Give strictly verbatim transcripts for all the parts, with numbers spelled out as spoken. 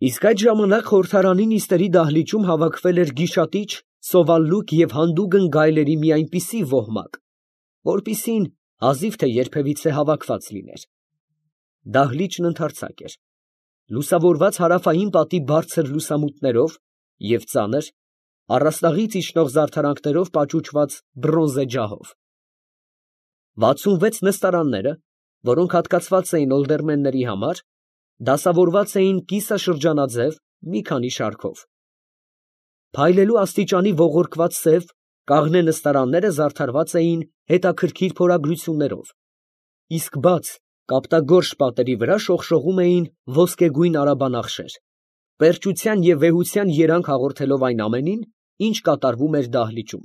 Իսկ այդ ժամանակ խորհրդարանի նիստերի դահլիճում հավաքվել էր գիշատիչ, սովալլուկ և հանդուգն գայլերի մի այնպիսի ոհմակ, որպիսին հազիվ թե երբևիցե հավաքված լիներ. դահլիճն ընդարձակ էր, լուսավորված հարավային պատի բարձր լուսամուտներով և ծանր, առաստաղից իջնող զարդարանքներով պաճուճված բրոնզե ջահով. վաթսունվեց նստարանները, որոնք հատկացված էին օլդերմենների համար, դասավորված էին կիսաշրջանաձև մի քանի շարքով. փայլելու աստիճանի ողորկված սև, կաղնե նստարանները զարդարված էին հետաքրքիր փորագրություններով, իսկ բաց, կապտագորշ պատերի վրա շողշողում էին ոսկեգույն արաբանախշեր, պերճության և վեհության երանգ հաղորդելով այն ամենին, ինչ կատարվում էր դահլիճում։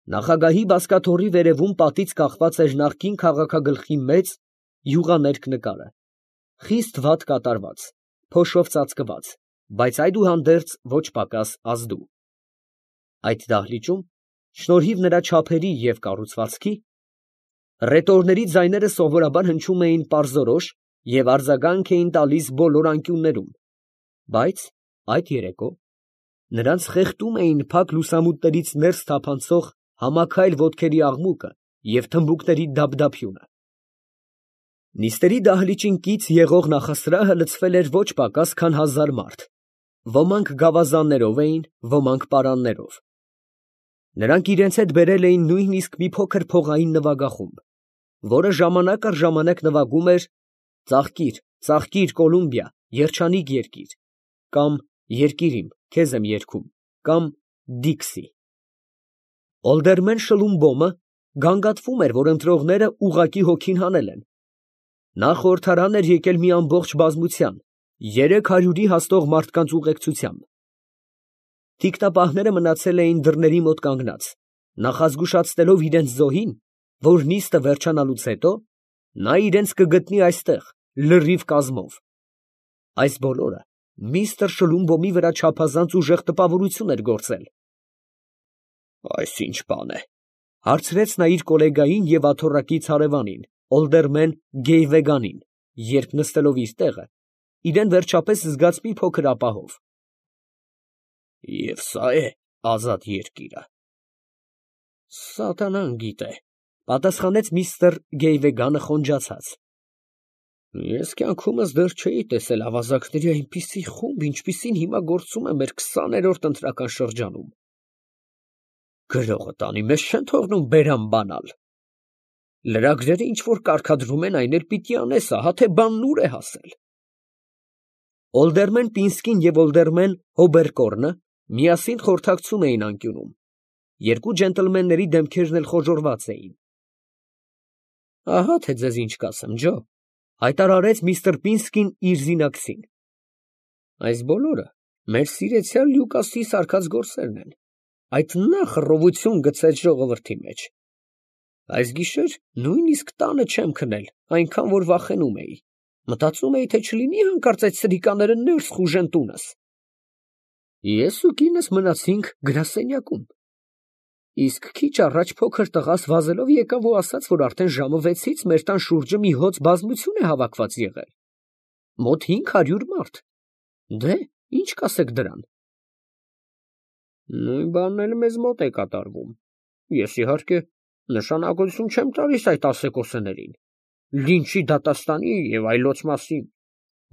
Նախագահի բազկաթոռի վերևում պատից կախված էր նախկին քաղաքագլխի մեծ, յուղաներկ նկարը, խիստ վատ կատարված, փոշով ծածկված, բայց այդուհանդերձ ոչ պակաս ազդու։ Այդ դահլիճում, շնորհիվ նրա չափերի և կառուցվածքի, ռետորների ձայները սովորաբար հնչում էին պարզորոշ և արձագանք էին տալիս բոլոր անկյուններում, բայց այդ երեկո նրանց խեղդում էին փակ լուսամուտներից ներս թափանցող համաքայլ ոտքերի աղմուկը և թմբուկների դափդափյունը։ Նիստերի դահլիճին կից եղող նախասրահը լցվել էր ոչ պակաս, քան հազար մարդ, ոմանք գավազաններով էին, ոմանք պարաններով։ Նրանք իրենց հետ բերել էին նույնիսկ մի փոքր փողային նվագախումբ, որը ժամանակ առ ժամանակ նվագում էր «Ծաղկիր, ծաղկիր, Կոլումբիա, երջանիկ երկիր» կամ «Երկիր իմ, քեզ եմ երգում» կամ «Դիքսի»։ Օլդերմեն Շլումբոմը գանգատվում էր, որ ընտրողները ուղղակի հոգին հանել են. նա խորհրդարան էր եկել մի ամբողջ բազմության, երեք հարյուրի հասնող մարդկանց ուղեկցությամբ։ Թիկնապահները մնացել էին դռների մոտ կանգնած, նախազգուշացնելով իրենց զոհին, որ նիստը վերջանալուց հետո նա իրենց կգտնի այստեղ լրիվ կազմով։ Այս բոլորը միստր Շլումբոմի վրա չափազանց ուժեղ տպավորություն էր գործել։ «Այս ի՞նչ բան է, ֊ հարցրեց նա իր գոլեգային և աթոռակից հարևանին, օլդերմեն Գեյվեգանին, երբ նստելով իր տեղը, իրան վերջապես զգաց մի փոքր ապահով։ ֊ Եվ սա է ազատ երկիրը։ ֊ Սատանան գիտե, ֊ պատասխանեց միստր Գեյվեգանը խոնջացած։ ֊ Ես կյանքումս դեռ չէի տեսել ավազակների այնպիսի խումբ, ինչպիսին հիմա գործում է մեր քսաներորդ ընտրական շրջանում։ Գրողը տանի, մեզ չեն թողնում բերան բանալ։ Լրագրերը ինչ որ կարգադրում են, այն էլ պիտի անես, ահա թե բանն ուր է հասել։ Օլդերմեն Պինսկին և օլդերմեն Հոբերկորնը միասին խորհրդակցում էին անկյունում, երկու ջենտլմենների դեմքերն էլ խոժոռված էին։ ֊ Ահա թե ձեզ ինչ կասեմ, ջո, ֊ հայտարարեց միստր Պինսկին իր զինակցին. այս բոլորը մեր սիրեցյալ Լյուկասի սարքած գործերն են, այդ նա խռովություն գցեց ժողովրդի մեջ։ Այս գիշեր նույնիսկ տանը չեմ քնել, այնքան որ վախենում էի, մտածում էի, թե չլինի հանկարծ այդ սրիկաները ներս խուժեն տունս։ Ես ու կինս մնացինք գրասենյակում, իսկ քիչ առաջ փոքր տղաս վազելով եկավ ու ասաց, որ արդեն ժամը վեցից մեր տան շուրջը մի հոծ բազմություն է հավաքված եղել, մոտ հինգ հարյուր մարդ։ Դե, ի՞նչ կասեք դրան։ Նույն բանն էլ մեզ մոտ է կատարվում։ Ես իհարկե նշանակություն չեմ տալիս այդ ասեկոսներին, լինչի դատաստանի և այլոց մասին,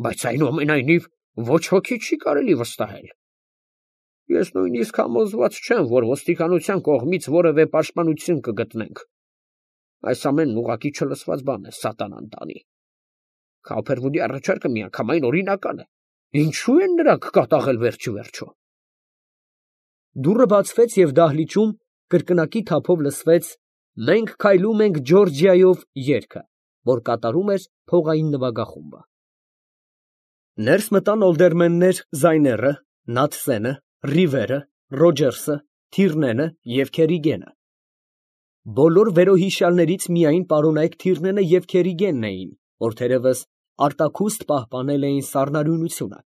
բայց այնուամենայնիվ ոչ ոքի չի կարելի վստահել։ Ես նույնիսկ համոզված չեմ, որ ոստիկանության կողմից որևէ պաշտպանություն կգտնենք։ Այս ամենն ուղղակի չլսված բան է, սատանան տանի։ Քափերվուդի առաջարկը միանգամայն օրինական է, ինչու են նրանք կատաղել վերջիվերջո։ Դուռը բացվեց և դահլիճում կրկնակի թափով լսվեց «Մենք քայլում ենք Ջորջիայով» երգը, որ կատարում էր փողային նվագախումբը։ Ներս մտան օլդերմեններ Զայները, Նաթսենը, Ռիվերը, Ռոջերսը, Թիրնենը և Քերիգենը։ Բոլոր վերոհիշյալներից միայն պարոնայք Թիրնենը և Քերիգենն էին, որ թերևս արտաքուստ պահպանել էին սառնարյունությունը։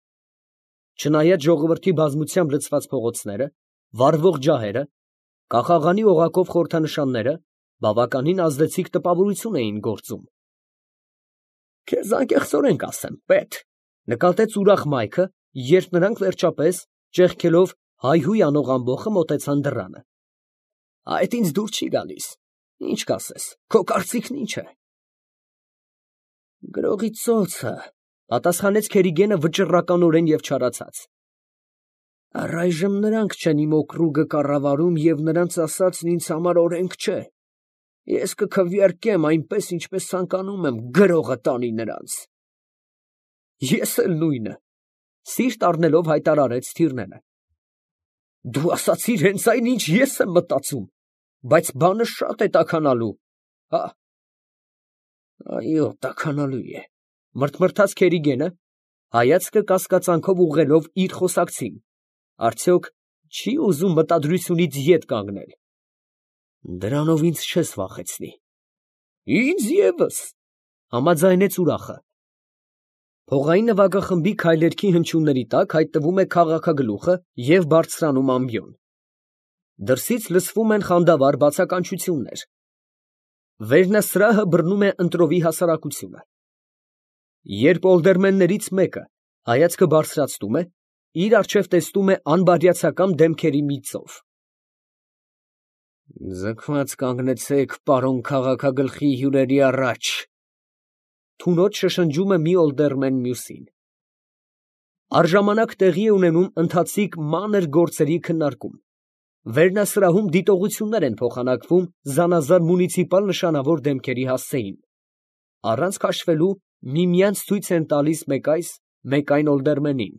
Չնայած ժողովրդի բազմությամբ լցված փողոցները, վառվող ջահերը, կախաղանի օղակով խորհրդանշանները բավականին ազդեցիկ տպավորություն էին գործում։ Քեզ անկեղծորեն կասեմ, պետ, Նկատեց ուրախ մայքը, երբ նրանք վերջապես, ճեղքելով հայհույն անող ամբոխը, մոտեցան դռանը։ Այդ ինձ դուր չի գալիս, ինչ կասես, քո կարծիքն ինչ է։ Գրողի ծոցը, պատասխանեց Քերիգենը վճռականորեն և չարացած։ Առայժմ նրանք չեն իմ օկրուգը կառավարում և նրանց ասածն ինձ համար օրենք չէ։ Ես կքվեարկեմ այնպես, ինչպես ցանկանում եմ, գրողը տանի նրանց։ Ես էլ նույնը, սիրտ առնելով հայտարարեց Թիրնենը։ Դու ասացիր հենց այն, ինչ ես եմ մտածում, բայց բանը շատ է տաքանալու, հա։ Այո, տաքանալու է, մրթմրթաց Քերիգենը, հայացքը կասկածանքով ուղղելով իր խոսակցին, արդյոք չի ուզում մտադրությունից ետ կանգնել։ Դրանով ինձ չես վախեցնի։ Ինձ ևս, համաձայնեց ուրախը։ Փողային նվագախմբի քայլերքի հնչյունների տակ հայտնվում է քաղաքագլուխը և բարձրանում ամբիոն։ Դրսից լսվում են խանդավառ բացականչություններ։ Վերնասրահը բռնում է ընտրովի հասարակությունը։ Երբ օլդերմեններից մեկը հայացքը բարձրացնում է, իր առջև տեսնում է անբարյացակամ դեմքերի մի ծով։ Ձգված կանգնեցեք, պարոն քաղաքագլխի հյուրերի առաջ, թունոց շշնջում է մի օլդերմեն մյուսին։ Առժամանակ տեղի է ունենում ընթացիկ մանր գործերի քննարկում։ Վերնասրահում դիտողություններ են փոխանակվում զանազան մունիցիպալ նշանավոր դեմքերի հասցեին։ Առանց քաշվելու միմյանց ցույց են տալիս մեկ այս, մեկ այն օլդերմենին։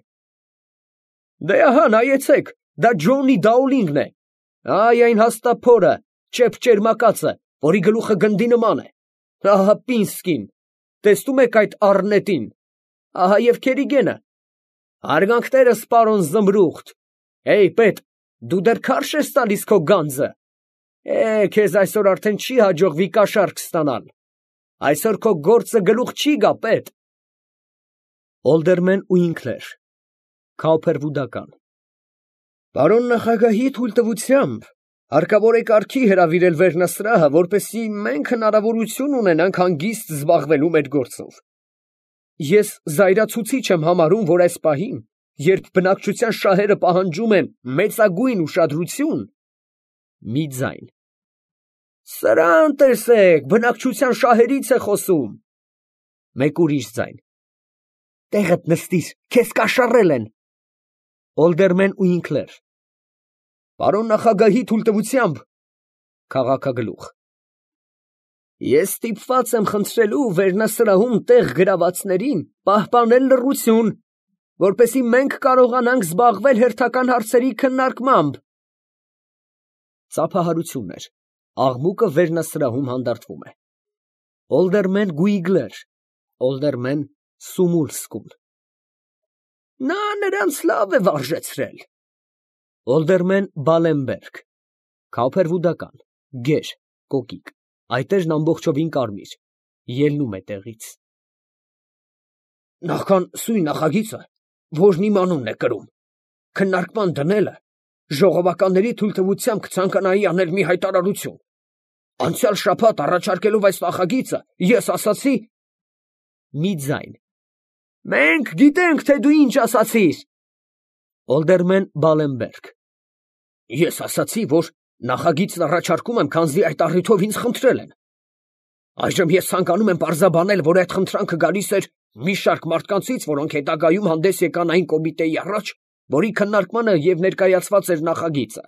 Դե ահա, նայեցեք, դա Ջոնի Դաուլինգն է։ Այ այն հաստափորը, ճեպճերմակացը, որի գլուխը գնդի նման է։ Ահա Պինսկին, տեսնում եք այդ առնետին։ Ահա և Քերիգենը։ Հարգանքներս, պարոն Զմրուխտ։ Էй, պետ, դու դեռ քարշ ես տալիս քո գանձը։ Է, քեզ այսօր արդեն չի հաջողվի կաշառք ստանալ։ Այսօր քո գործը գլուխ չի գա, պետ։ Օլդերմեն Ուինքլեր, Քաուփերվուդական։ Պարոն նախագահի թույլտվությամբ հարկավոր է կարգի հրավիրել Վերնասրահը, որպեսզի մենք հնարավորություն ունենանք հանգիստ զբաղվելու մեր գործով։ Ես զայրացուցիչ եմ համարում, որ այս պահին, երբ բնակչության շահերը պահանջում են մեծագույն ուշադրություն, մի ձայն։ Սրան տեսեք, բնակչության շահերից է խոսում։ Մեկ ուրիշ ձայն։ Տեղդ նստիր, քեզ կաշառել են։ Օլդերմեն Ուինքլեր։ Պարոն նախագահի թույլտվությամբ, քաղաքագլուխ։ Ես ստիպված եմ խնդրելու Վերնասրահում տեղ գրավածներին պահպանել լռություն, որպեսզի մենք կարողանանք զբաղվել հերթական հարցերի քննարկմամբ։ Ծափահարություններ, աղմուկը Վերնասրահում հանդարտվում է։ Օլդերմեն Գուիգլեր, օլդերմեն Սումուլսկուն։ Նա նրանց լավ է վարժեցրել։ Օլդերմեն Բալենբերգ, Քաուփերվուդական, գեր, կոկիկ, այտեժն ամբողջովին կարմիր, ելնում է տեղից։ Նախքան սույն նախագիծը, որն իմ անունն է կրում, քննարկման դնելը, ժողովականների թույլտվությամբ կցանկանայի անել մի հայտարարություն։ Անցյալ շաբաթ առաջարկելով այս նախագիծը, ես ասացի… Մի ձայն։ Մենք գիտենք, թե դու ինչ ասացիր։ Օլդերմեն Բալենբերգ։ Ես ասացի, որ նախագիծն առաջարկում եմ, քանզի այդ առիթով ինձ խնդրել են։ Այժմ ես ցանկանում եմ պարզաբանել, որ այդ խնդրանքը գալիս էր մի շարք մարդկանցից, որոնք հետագայում հանդես եկան այն կոմիտեի առաջ, որի քննարկմանը և ներկայացված էր նախագիծը։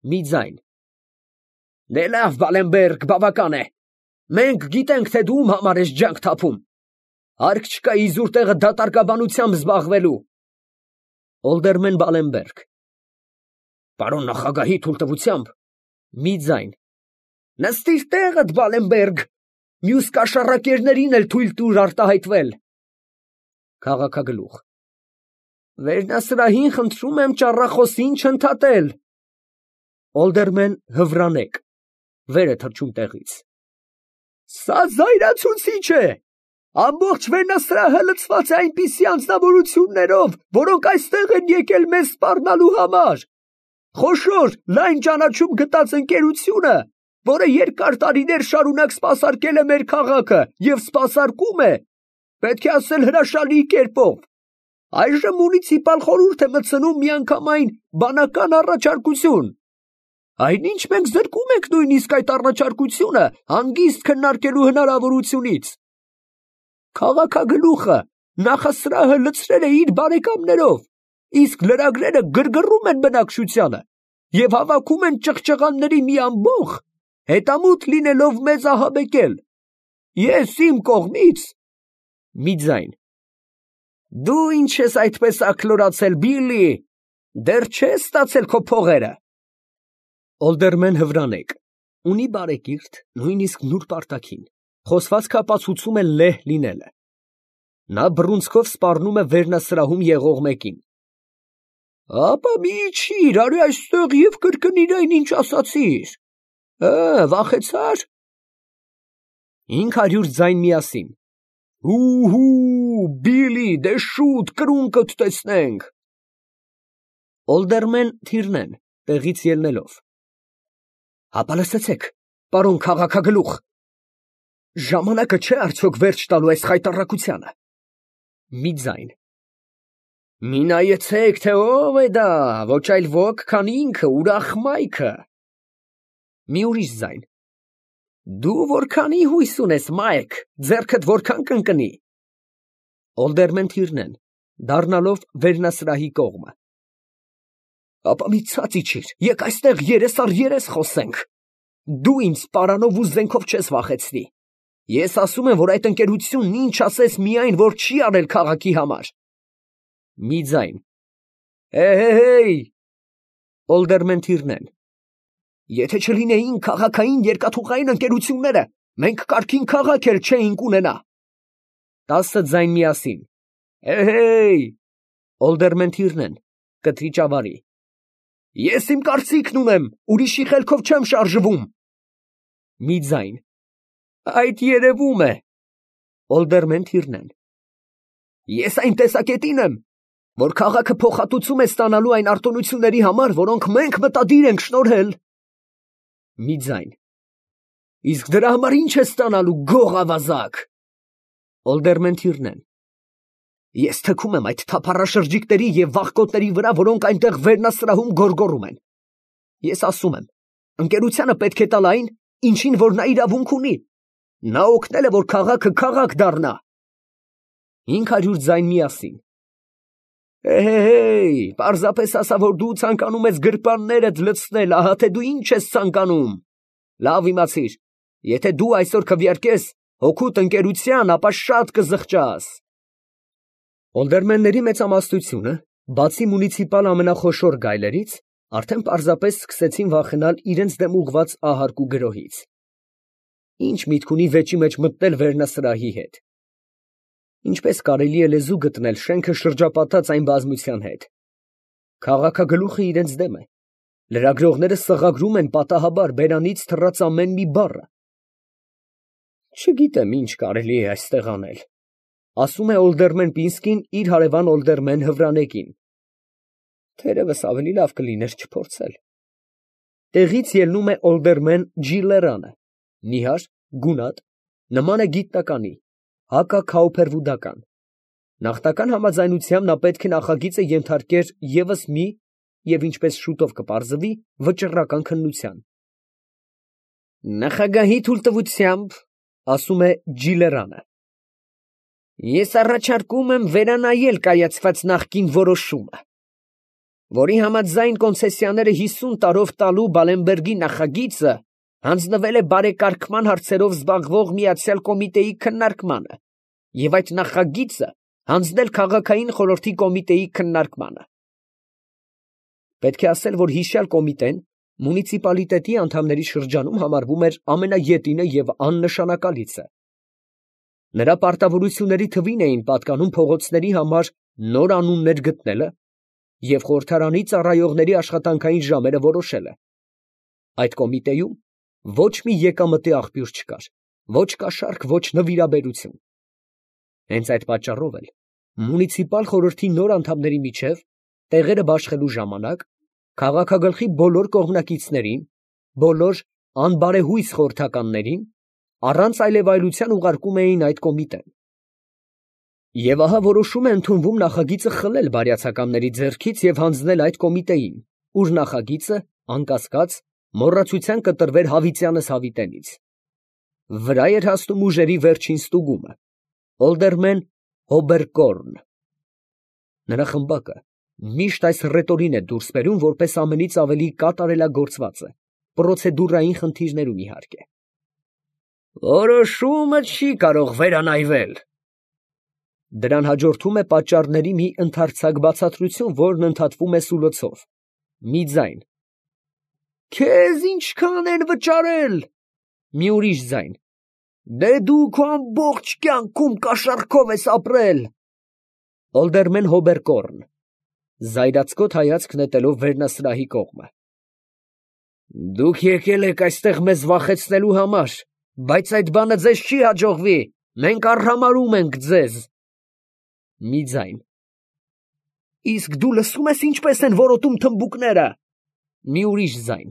Մի ձայն։ Դե լավ, Բալենբերգ, բավական է։ Մենք գիտենք, թե դու ում համար ես ջանք թափում։ Հարկ չկա իզուր տեղը դատարկաբանությամբ զբաղվելու։ Օլդերմեն Բալենբերգ։ Պարոն նախագահի թույլտվությամբ, մի ձայն։ Նստիր տեղդ, Բալենբերգ, մյուս կաշառակերներին էլ թույլ տուր արտահայտվել։ Քաղաքագլուխ։ Վերնասրահին խնդրում եմ ճառախոսին չընդհատել։ Օլդերմեն Հվրանեկ, վեր է թռչում տեղից։ Սա զայրացուցիչ է։ Ամբողջ Վերնասրահը լցված է այնպիսի անձնավորություններով, որոնք այստեղ են եկել մեզ սպառնալու համար։ Խոշոր, լայն ճանաչում գտած ընկերությունը, որը երկար տարիներ շարունակ սպասարկել է մեր քաղաքը և սպասարկում է, պետք է ասել հրաշալի կերպով։ Այժմ մունիցիպալ խորհուրդ է մտցնում միանգամայն բանական առաջարկություն։ Այնինչ մենք զրկում ենք նույնիսկ այդ առաջարկությունը հանգիստ քննարկելու հնարավորությունից։ Քաղաքագլուխը նախասրահը լցրել է իր բարեկամներով, իսկ լրագրերը գրգռում են բնակչությանը և հավաքում են ճղճղանների մի ամբոխ, հետամուտ լինելով մեզ ահաբեկել։ Ես իմ կողմից… Մի ձայն. Դու ինչ ես այդպես աքլորացել, Բիլլի, դեռ չես ստացել քո փողերը։ Ալդերմեն Հվրանեկ, ունի բարեկիրթ, նույնիսկ նուրբ արտաքին, խոսվածքը ապացուցում է լեհ լինելը։ Նա բռունցքով սպառնում է վերնասրահում եղող մեկին։ Ապա մի իջիր, արի այստեղ և կրկնիր այն, ինչ ասացիր։ Է, վախեցա՞ր։ Հինգ հարյուր ձայն միասին. Հու՛հու, Բիլլի, դե շուտ կրունկդ տեսնենք։ Ալդերմեն Թիրնեն, տեղից ելնելով. Հապա լսեցեք, պարոն քաղաքագլուխ, ժամանակը չէ արդյոք վերջ տալու այս խայտառակությանը։ Մի ձայն. Մի նայեցեք, թե ով է դա, ոչ այլ ոք, քան ինքը, ուրախ Մայքը։ Մի ուրիշ ձայն. Դու որքանի հույս ունես, Մայք, ձեռքդ որքան կընկնի։ Ալդերմեն Թիրնեն, դառնալով վերնասրահի կողմը. Ապա մի ցած իջիր, եկ այստեղ երես առ երես խոսենք։ Դու ինձ պարանով ու զենքով չես վախեցնի։ Ես ասում եմ, որ այդ ընկերությունն ինչ ասես միայն, որ չի արել քաղաքի համար։ Մի ձայն. Հե՛հե՛հեյ։ Ալդերմեն Թիրնեն. Եթե չլինեին քաղաքային երկաթուղային ընկերությունները, մենք կարգին քաղաք էլ չէինք ունենա։ Տասը ձայն միասին. Հե՛հեյ։ Ալդերմեն Թիրնեն, կտրիճավարի. Ես իմ կարծիքն ունեմ, ուրիշի խելքով չեմ շարժվում։ Մի ձայն. Այդ երևում է։ Ալդերմեն Թիրնեն. Ես այն տեսակետին եմ, որ քաղաքը փոխհատուցում է ստանալու այն արտոնությունների համար, որոնք մենք մտադիր ենք շնորհել։ Մի ձայն. Իսկ դրա համար ի՞նչ է ստանալու, գող ավազակ։ Ալդերմեն Թիրնեն. Ես թքում եմ այդ թափառաշրջիկների և վախկոտների վրա, որոնք այնտեղ վերնասրահում գոռգոռում են։ Ես ասում եմ, ընկերությանը պետք է տալ այն, ինչին որ նա իրավունք ունի։ Նա օգնել է, որ քաղաքը քաղաք դառնա։ Հինգ հարյուր ձայն միասին. Հե՛հեյ, պարզապես ասա, որ դու ցանկանում ես գրպաններդ լցնել, ահա թե դու ինչ ես ցանկանում։ Լավ իմացիր, եթե դու այսօր քվեարկես հօգուտ ընկերության, ապա շատ կզղջաս։ Ալդերմենների մեծամասնությունը, բացի մունիցիպալ ամենախոշոր գայլերից, արդեն պարզապես սկսեցին վախենալ իրենց դեմ ուղղված ահարկու գրոհից։ Ինչ միտք ունի վեճի մեջ մտնել վերնասրահի հետ։ Ինչպես կարելի է լեզու գտնել շենքը շրջապատած այն բազմության հետ։ Քաղաքագլուխը իրենց դեմ է։ Լրագրողները սղագրում են պատահաբար բերանից թռած ամեն մի բառը։ Չգիտեմ, ինչ կարելի է այստեղ անել, ասում է Ալդերմեն Պինսկին իր հարևան Ալդերմեն Հվրանեկին։ Թերևս ավելի լավ կլիներ չփորձել։ Տեղից ելնում է Ալդերմեն Ջիլլերանը, նիհար, գունատ, նման է գիտնականի, հակաքաուփերվուդական։ Նախնական համաձայնությամբ նա պետք է նախագիծը ենթարկեր ևս մի և ինչպես շուտով կպարզվի, վճռական քննության։ Նախագահի թույլտվությամբ, ասում է Ջիլլերանը, ես առաջարկում եմ վերանայել կայացված նախկին որոշումը, որի համաձայն կոնցեսիաները հիսուն տարով տալու Բալենբերգի նախագիծը հանձնվել է բարեկարգման հարցերով զբաղվող միացյալ կոմիտեի քննարկմանը և այդ նախագիծը հանձնել քաղաքային խորհրդի կոմիտեի քննարկմանը։ Պետք է ասել, որ հիշյալ կոմիտեն մունիցիպալիտետի անդամների շրջանում համարվում էր ամենաետինը և աննշանակալիցը։ Նրա պարտավորությունների թվին էին պատկանում փողոցների համար նոր անուններ գտնելը և խորհրդարանի ծառայողների աշխատանքային ժամերը որոշելը։ Այդ կոմիտեում ոչ մի եկամտի աղբյուր չկար, ոչ կաշառք, ոչ նվիրաբերություն։ Հենց այդ պատճառով էլ մունիցիպալ խորհրդի նոր անդամների միջև տեղերը բաշխելու ժամանակ քաղաքագլխի բոլոր կողմնակիցներին, բոլոր անբարեհույս խորհրդականներին առանց այլևայլության ուղարկում էին այդ կոմիտեն։ Եվ ահա որոշում է ընդունվում նախագիծը խլել բարյացականների ձեռքից և հանձնել այդ կոմիտեին, ուր նախագիծը, անկասկած, մոռացության կտրվեր հավիտյանս հավիտենից։ Վրա էր հասնում ուժերի վերջին ստուգումը, ալդերմեն Հոբերկորն։ Նրա խմբակը միշտ այս ռետորին է դուրս բերում որպես ամենից ավելի կատարելագործվածը, պրոցեդուրային խնդիրներում իհարկե։ Որոշումը չի կարող վերանայվել։ Դրան հաջորդում է պատճառների մի ընդարձակ բացատրություն, որն ընդհատվում է սուլոցով։ Մի ձայն։ Քեզ ինչքան են վճարել։ Մի ուրիշ ձայն։ Դե դու քո ամբողջ կյանքում կաշառքով ես ապրել։ Ալդերմեն Հոբերկորն (զայրացկոտ հայացք նետելով վերնասրահի կողմը)։ Դուք եկել եք այստեղ մեզ վախեցնելու համար, բայց այդ բանը ձեզ չի հաջողվի, մենք արհամարհում ենք ձեզ։ Մի ձայն։ Իսկ դու լսո՞ւմ ես ինչպես են որոտում թմբուկները։ Մի ուրիշ ձայն։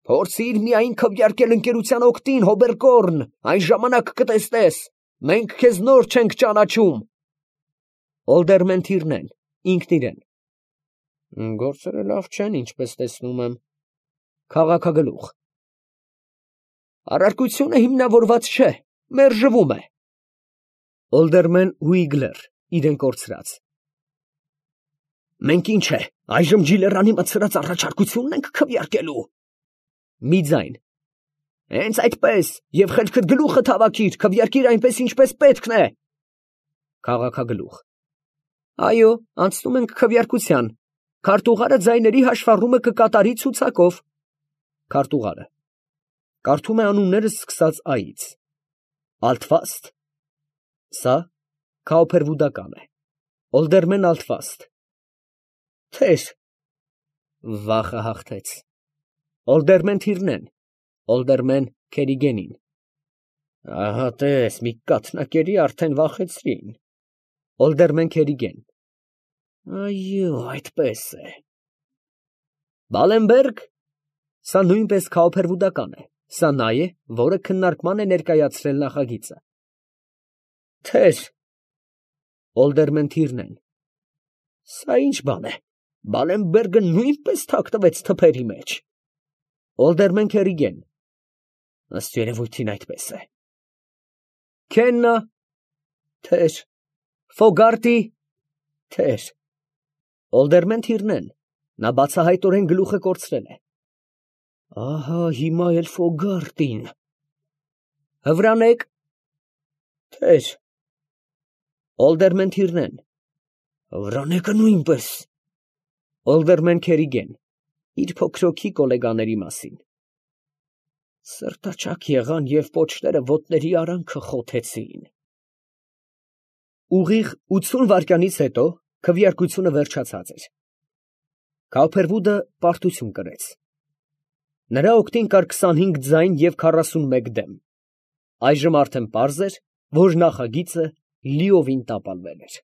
Փորձիր միայն քվեարկել ընկերության օգտին, Հոբերկորն, այն ժամանակ կտեսնես, մենք քեզ նոր չենք ճանաչում։ Ալդերմեն Թիրնեն, ինքն իրեն։ Գործերը լավ չեն, ինչպես տեսնում եմ։ Քաղաքագլուխ։ Առարկությունը հիմնավորված չէ, մերժվում է։ Ալդերմեն Հուիգլեր, իրեն կորցրած։ Մենք ինչ է, այժմ Ջիլերանի մտցրած առաջարկությունն ենք քվեարկելու։ Մի ձայն։ Հենց այդպես, և խելքդ գլուխը հավաքիր, քվեարկիր այնպես, ինչպես պետքն է։ Քաղաքագլուխ։ Այո, անցնում ենք քվեարկության։ Քարտուղարը ձայների հաշվառումը կկատարի ցուցակով։ Քարտուղարը կարդում է անունները սկսած այից։ Ալթվաստ։ Սա քաոփերվուդական է։ Ալդերմեն Ալթվաստ։ Թեր։ Վախը հաղթեց։ Ալդերմեն Թիրնեն, Ալդերմեն Քերիգենին։ Ահա տես, մի կաթնակերի արդեն վախեցրին։ Ալդերմեն Քերիգեն։ Այո, այդպես է։ Բալենբերգ։ Սա նույնպես քաոփերվուդական է։ Սա նա է, որը քննարկման է ներկայացրել նախագիծը։ Թեր։ Ալդերմեն Թիրնեն։ Սա ինչ բան է։ Բալենբերգը նույնպես թաքնվեց թփերի մեջ։ Ալդերմեն Քերիգեն։ Ըստ երևույթին այդպես է։ Քեննա։ Թեր։ Ֆոգարտի։ Թեր։ Ալդերմեն Թիրնեն։ Նա բացահայտորեն գլուխը կորցրել է։ Ահա հիմա էլ Ֆոգարտին։ Հվրանեկ։ Թեր։ Ալդերմեն Թիրնեն։ Հվրանեկը նույնպես։ Ալդերմեն Քերիգեն, իր փոքրոքի գոլեգաների մասին։ Սրտաճաք եղան և պոչները ոտների արանքը խոթեցին։ Ուղիղ ութսուն վայրկյանից հետո քվեարկությունը վերջացած էր։ Քաոփերվուդը պարտություն կրեց։ Նրա օգտին կար քսանհինգ ձայն և քառասունմեկ դեմ։ Այժմ արդեն պարզ էր, որ նախագիծը լիովին տապալվել էր։